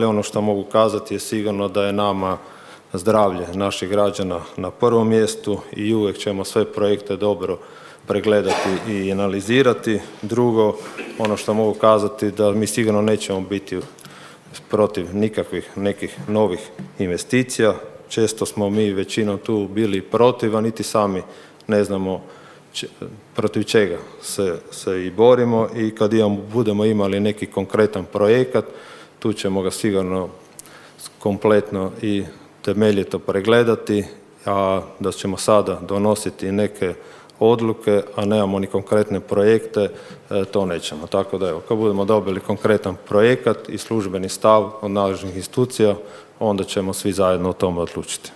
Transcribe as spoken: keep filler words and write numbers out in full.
Ali ono što mogu kazati je sigurno da je nama zdravlje naših građana na prvom mjestu i uvijek ćemo sve projekte dobro pregledati i analizirati. Drugo, ono što mogu kazati da mi sigurno nećemo biti protiv nikakvih nekih novih investicija. Često smo mi većinom tu bili protiv, a niti sami ne znamo protiv čega se, se i borimo, i kad imamo, budemo imali neki konkretan projekat, tu ćemo ga sigurno kompletno i temeljito pregledati, a da ćemo sada donositi neke odluke, a nemamo ni konkretne projekte, to nećemo. Tako da evo, kad budemo dobili konkretan projekat i službeni stav od nadležnih institucija, onda ćemo svi zajedno o tome odlučiti.